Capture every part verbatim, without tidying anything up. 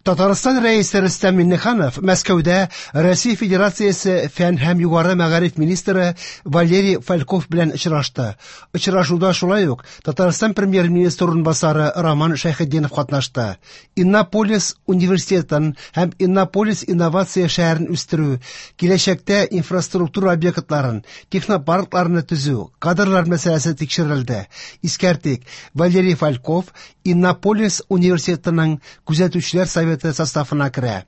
Татарстан Рәисе Рөстәм Миңнеханов Мәскәүдә Россия Федерациясе фән һәм югары мәгариф министры Валерий Фальков белән очрашты. Очрашуда шулай ук Татарстан премьер-министры урынбасары Роман Шәйхетдинов катнашты. Иннополис университетын һәм Иннополис инновация шәһәрен үстерү, киләчәктә инфраструктура объектларын, технопаркларны төзү, кадрлар мәсьәләсе тикшерелде. Искәртик, Валерий Фальков Иннополис университетының күзәтүчеләр советы составына керә.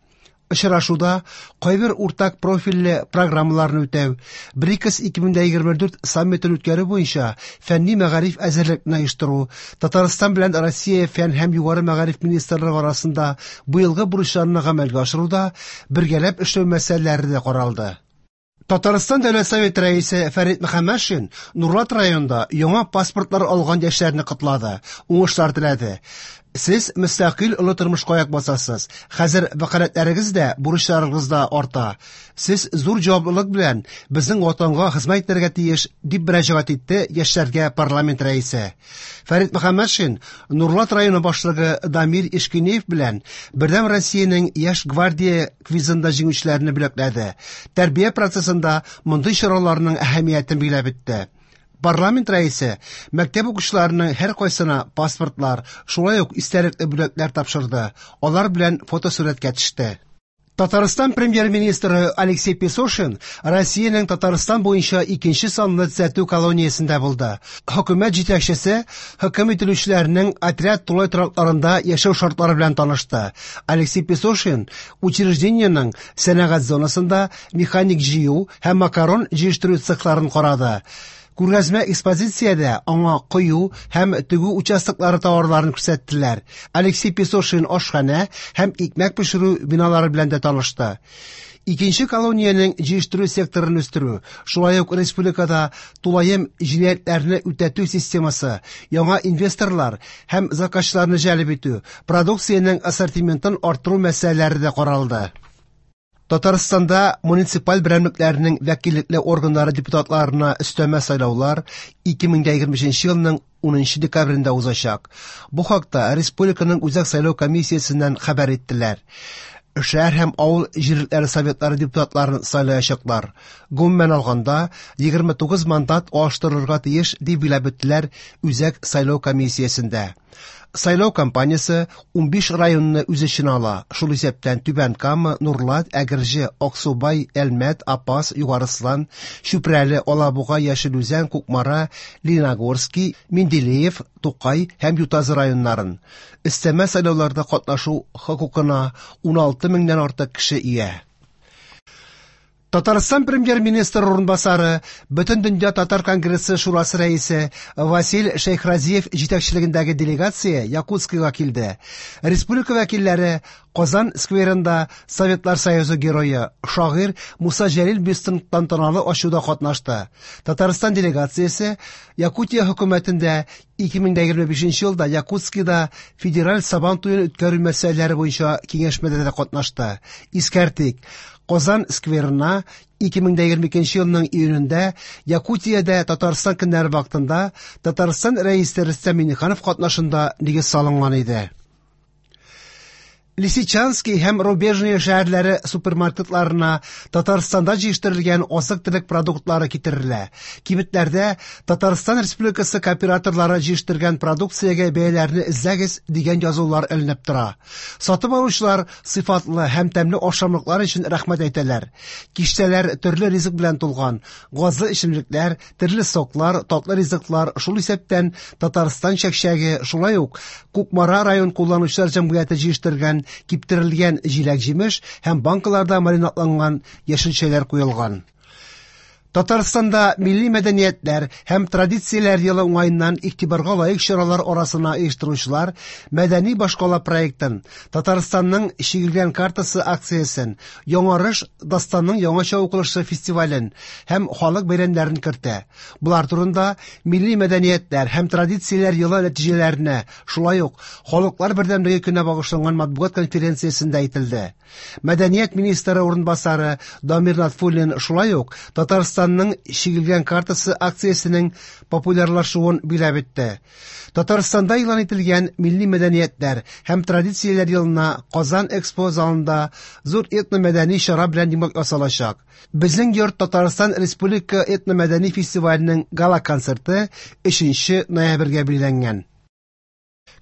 Очрашуда кайбер уртак профильле программаларны үтәү, БРИКС ике мең егерме дүрт саммитын үткәрү буенча фәнни мәгариф әзерлекне оештыру, Татарстан белән Россия фән һәм югары мәгариф министрлыгы арасында быелгы бурычларны гамәлгә ашыруда бергәләп эшләү мәсьәләләре дә каралды. Татарстан Дәүләт Советы рәисе Фәрит Мөхәммәтшин Нурлат районында яңа паспортлар алган яшьләрне котлады, уңышлар теләде. Сез мөстәкыйль олы тормышка аяк басасыз. Хәзер вәкаләтләрегез дә, бурычларыгыз да арта. Сез зур җаваплылык белән безнең ватанга хезмәт итәргә тиеш, дип мөрәҗәгать итте яшьләргә парламент рәисе. Фәрит Мөхәммәтшин Нурлат районы башлыгы Дамир Ишкинеев белән Бердәм Россиянең Яшь гвардия квизында җиңүчеләрне бүләкләде. Тәрбия процессында мондый чараларның әһәмиятен билгеләп үтте. Парламент рәисе мәктәп укучыларының һәр кайсына паспортлар, шулай ук истәлекле бүләкләр тапшырды. Алар белән фотосурәткә төште. Татарстан премьер-министры Алексей Песошин Россиянең Татарстан буенча икенче санлы төзәтү колониясендә булды. Хөкүмәт җитәкчесе хөкем ителүчеләрнең отряд тулай торакларында яшәү шартлары белән танышты. Алексей Песошин учреждениенең сәнәгать зонасында механик җыю һәм макарон җыештыру цехларын карады. Күргәзмә экспозициядә аңа кою һәм тегү участоклары товарларын күрсәттеләр. Алексей Песошин ашханә һәм икмәк пешерү биналары белән дә танышты. Икенче колониянең җыештыру секторын үстерү, шулай ук республикада тулаем җинаятьләрне үтәтү системасы, яңа инвесторлар һәм заказчыларны җәлеп итү, продукциянең ассортиментын арттыру мәсьәләләре дә каралды. Татарстанда муниципаль берәмлекләрнең вәкиллекле органнары депутатларына өстәмә сайлаулар ике мең егерме өченче елның унынчы декабрендә узачак. Бу хакта республиканың Үзәк сайлау комиссиясеннән хәбәр иттеләр. Шәһәр һәм авыл җирлекләре советлары депутатларын сайлаячаклар. Гомумән алганда, егерме тугыз мандат алыштырырга тиеш, дип билгеләп үттеләр Үзәк сайлау комиссиясендә. Сайлау кампаниясе унбиш районны үз эченә ала. Шул исәптән Түбән Кама, Нурлат, Әгерҗе, Аксубай, Әлмәт, Апас, Югарыслан, Чүпрәле, Алабуга, Яшел Үзән, Кукмара, Лениногорский, Менделеев, Тукай һәм Ютазы районнарын. Өстәмә сайлауларда катнашу хокукына уналты меңнән артык кеше ия. Татарстан премьер-министры урынбасары, Бөтендөнья татар конгрессы шурасы рәисе Василь Шәйхразиев җитәкчелегендәге делегация Якутскига килде. Республика вәкилләре Казан скверында Советлар Союзы герое, шагыйрь Муса Җәлил бюстын тантаналы ачуда катнашты. Татарстан делегациясе Якутия хөкүмәтендә ике мең егерме бишенче елда Якутскида федераль Сабан туен үткәрү мәсьәләләре буенча киңәшмәдә дә катнашты. Искәртик, Казан скверына ике мең егерме икенче елның июнендә Якутиядә Татарстан көннәре вакытында Татарстан рәисе Рөстәм Миңнеханов катнашында нигез салынган иде. Лисичанский һәм Рубежное шәһәрләре супермаркетларына Татарстанда җитештерелгән азык-төлек продуктлары китерелә. Кибетләрдә Татарстан Республикасы кооператорлары җитештергән продукциягә бәяләрне эзләгез дигән язулар эленеп тора. Сатып алучылар сыйфатлы һәм тәмле ашамлыклар өчен рәхмәт әйтәләр. Киштәләр төрле ризык белән тулган, газлы эчемлекләр, төрле соклар, татлы ризыклар, шул исәптән Татарстан чәкчәге, шулай ук Кукмара район кулланучылар җәмгыяте җитештергән киптерелгән җиләк-җимеш һәм банкаларда маринадланган яшелчәләр куелган. Татарстанда милли мәдәниятләр һәм традицияләр елы уңаеннан игътибарга лаек чаралар арасына оештыручылар Мәдәни башкала проектын, Татарстанның чигелгән картасы акциясен, Яңарыш дастанның яңача укылышы фестивален һәм халык бәйрәмнәрен кертә. Булар турында милли мәдәниятләр һәм традицияләр елы нәтиҗәләренә, шулай ук Халыклар бердәмлеге көненә багышланган матбугат конференциясендә әйтелде. Мәдәният министры урынбасары Дамир Натфуллин шулай ук Татарстан Татарстанның чигелгән картасы акциясенең популярлашуын биләп итте. Татарстанда игълан ителгән Милли мәдәниятләр һәм традицияләр елына Казан Экспо залында зур этномәдәни чара белән йомгак ясалачак. Безнең йорт Татарстан Республика этномәдәни фестиваленең гала-концерты өченче ноябрьгә билгеләнгән.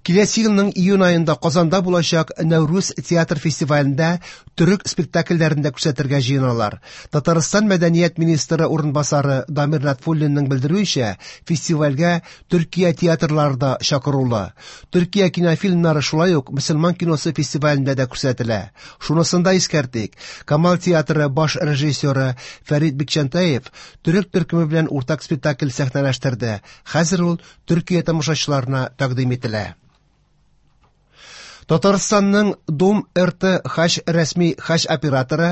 Киләсе елның июнь аенда Казанда булачак Нәүрүз театр фестивалендә төрек спектакльләрен дә күрсәтергә җыеналар. Татарстан мәдәният министры урынбасары Дамир Латфуллинның белдерүенчә, фестивальгә Төркия театрлары да чакырулы. Төркия кинофильмнары шулай ук мөселман киносы фестивалендә дә күрсәтелә. Шунысын да искәртик, Камал театры баш режиссеры Фәрит Бикчәнтәев төрек төркеме белән уртак спектакль сәхнәләштерде. Хәзер ул Төркия тамашачыларына тәкъдим ителә. Татарстанның Дом Р Т Хаҗ рәсми хаҗ операторы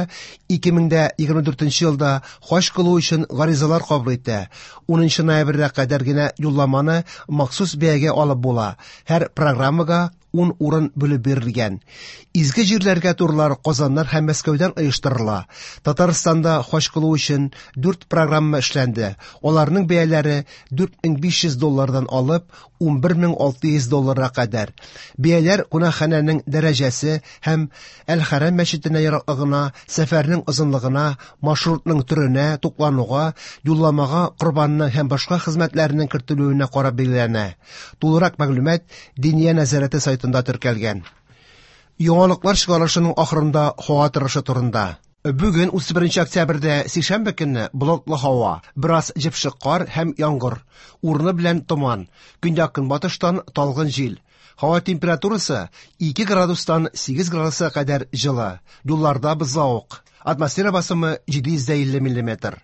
ике мең егерме дүртенче елда хаҗ кылу өчен гаризалар кабул итә. Унынчы ноябрьгә кадәр генә юлламаны махсус бәягә алып була. Һәр программага ун урын бүлеп бирелгән. Изге җирләргә турлар Казаннан һәм Мәскәүдән оештырыла. Татарстанда хаҗ кылу өчен дүрт программа эшләнде. Аларның бәяләре дүрт мең биш йөз доллардан алып унбер мең алты йөз долларга кадәр. Бәяләр кунакханәнең дәрәҗәсе һәм Әл-Хәрам мәчетенә ераклыгына, сәфәрнең озынлыгына, маршрутның төренә, туклануга, юлламага корбанның һәм башка хезмәтләрнең кертелүенә карап билгеләнә. Тулырак мәгълүмат Диния нәзарәте сайтында теркәлгән. Яңалыклар чыгарылышының ахырында һава торышы турында. Бүген утыз беренче октябрьдә, сишәмбе көнне, болытлы һава, бераз җепшек кар һәм яңгыр, урыны белән томан, көньяк-көнбатыштан талгын җил. Һава температурасы ике градустан сигез градуска кадәр җылы. Юлларда бозлавык. Атмосфера басымы җиде йөз илле миллиметр.